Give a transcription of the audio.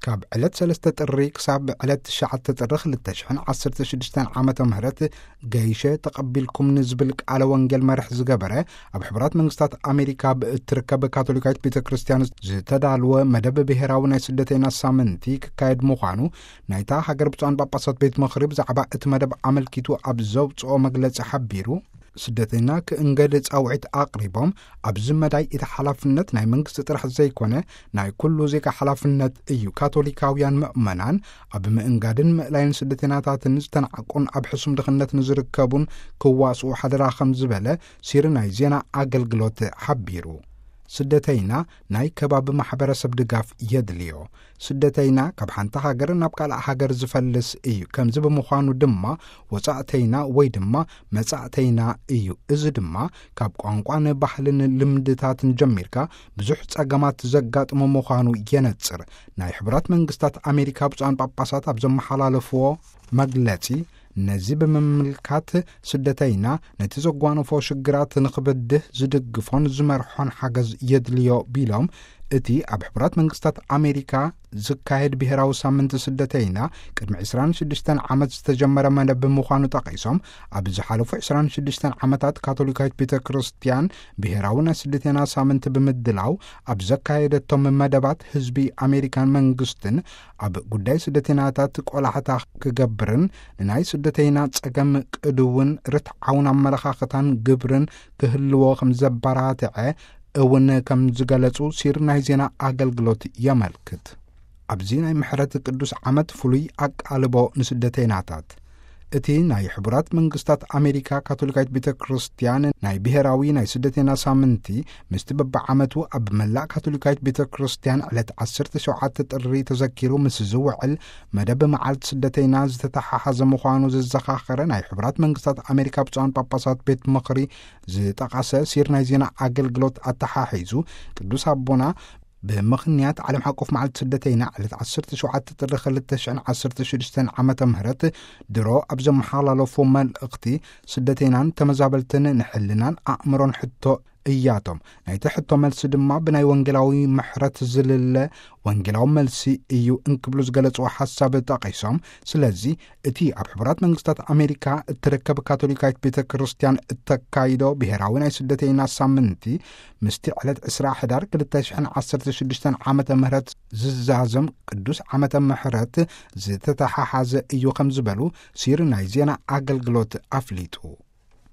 ካብ ዕለት ሰለስተ ጥሪ ክሳብ ዕለት ትሽዓተ ጥሪ ክልተ ሽሕን ዓሰርተ ሽዱሽተን ዓመተ ምህረት ገይሸ ተቐቢልኩም ንዝብል ቃለ ወንጌል መርሕ ዝገበረ፣ ኣብ ሕቡራት መንግስታት ኣሜሪካ ብእትርከብ ካቶሊካዊት ቤተ ክርስቲያን ዝተዳልወ መደብ ብሔራዊ ናይ ስደተይና ሳምንቲ ክካየድ ምዃኑ ናይታ ሃገር ብፁዓን ጳጳሳት ቤት ምኽሪ ብዛዕባ እቲ መደብ ኣመልኪቱ ኣብ ዘውፅኦ መግለጺ ሓቢሩ፣ ስደተይና ክእንገድ ጻውዒት ኣቕሪቦም፣ ኣብዚ መዳይ እቲ ሓላፍነት ናይ መንግስቲ ጥራሕ ዘይኮነ ናይ ኩሉ ዜጋ ሓላፍነት እዩ። ካቶሊካውያን ምእመናን ኣብ ምእንጋድን ምእላይን ስደተይናታትን ዝተናዕቁን ኣብ ሕሱም ድኽነት ንዝርከቡን ክዋስኡ ሓደራ ከም ዝበለ ሲሪ ናይ ዜና ኣገልግሎት ሓቢሩ። ስደተይና ናይ ከባቢ ማሕበረሰብ ድጋፍ የድልዮ። ስደተይና ካብ ሓንቲ ሃገር ናብ ካልእ ሃገር ዝፈልስ እዩ። ከምዚ ብምዃኑ ድማ ወጻእተይና ወይ ድማ መጻእተይና እዩ። እዚ ድማ ካብ ቋንቋን ባህልን ልምድታትን ጀሚርካ ብዙሕ ጸገማት ዘጋጥሞ ምዃኑ የነጽር። ናይ ሕቡራት መንግስታት ኣሜሪካ ብፁዓን ጳጳሳት ኣብ ዘመሓላለፍዎ መግለጺ፣ ነዚ ብምምልካት ስደተይና ነቲ ዘጓነፎ ሽግራት ንኽበድህ ዝድግፎን ዝመርሖን ሓገዝ የድልዮ ቢሎም፣ እቲ ኣብ ሕቡራት መንግስታት ኣሜሪካ ዝካየድ ብሔራዊ ሳምንቲ ስደተይና ቅድሚ ዕስራን ሽዱሽተን ዓመት ዝተጀመረ መደብ ብምዃኑ ጠቒሶም፣ ኣብ ዝሓለፉ ዕስራን ሽዱሽተን ዓመታት ካቶሊካዊት ቤተ ክርስቲያን ብሔራዊ ናይ ስደተይና ሳምንቲ ብምድላው ኣብ ዘካየደቶም መደባት ህዝቢ ኣሜሪካን መንግስትን ኣብ ጉዳይ ስደተይናታት ቆላሕታ ክገብርን ንናይ ስደተይና ጸገም ቅድውን ርትዓውን ኣመለኻኽታን ግብርን ክህልዎ ከም ዘበራትዐ እውን ከም ዝገለጹ ሲር ናይ ዜና ኣገልግሎት የመልክት። ኣብዚ ናይ ምሕረት ቅዱስ ዓመት ፍሉይ ኣቃልቦ ንስደተይናታት። እቲ ናይ ሕቡራት መንግስታት ኣሜሪካ ካቶሊካዊት ቤተ ክርስቲያን ናይ ብሔራዊ ናይ ስደተይና ሳምንቲ ምስቲ በብዓመቱ ኣብ መላእ ካቶሊካዊት ቤተ ክርስቲያን ዕለት ዓሰርተ ሸውዓተ ጥሪ ተዘኪሩ ምስ ዝውዕል መደብ መዓልቲ ስደተይና ዝተተሓሓዘ ምዃኑ ዘዘኻኸረ ናይ ሕቡራት መንግስታት ኣሜሪካ ብፁዓን ጳጳሳት ቤት ምኽሪ ዝጠቐሰ ሲር ናይ ዜና ኣገልግሎት ኣተሓሒዙ ቅዱስ ኣቦና ብምኽንያት ዓለም ሓቆፍ መዓልቲ ስደተይና ዕለት ዓሰርተ ሸውዓተ ጥሪ ክልተ ሽሕን ዓሰርተ ሽዱሽተን ዓመተ ምህረት ድሮ ኣብ ዘመሓላለፎ መልእኽቲ፣ ስደተይናን ተመዛበልትን ንሕልናን ኣእምሮን ሕቶ እያቶም። ናይቲ ሕቶ መልሲ ድማ ብናይ ወንጌላዊ ምሕረት ዝልለ ወንጌላዊ መልሲ እዩ እንክብሉ ዝገለጽዎ ሓሳብ ጠቒሶም፣ ስለዚ እቲ ኣብ ሕቡራት መንግስታት ኣሜሪካ እትርከብ ካቶሊካዊት ቤተ ክርስቲያን እተካይዶ ብሔራዊ ናይ ስደተይና ሳምንቲ ምስቲ ዕለት ዕስራ ሕዳር ክልተ ሽሕን ዓሰርተ ሽዱሽተን ዓመተ ምህረት ዝዛዘም ቅዱስ ዓመተ ምሕረት ዝተተሓሓዘ እዩ ከም ዝበሉ ሲር ናይ ዜና ኣገልግሎት ኣፍሊጡ።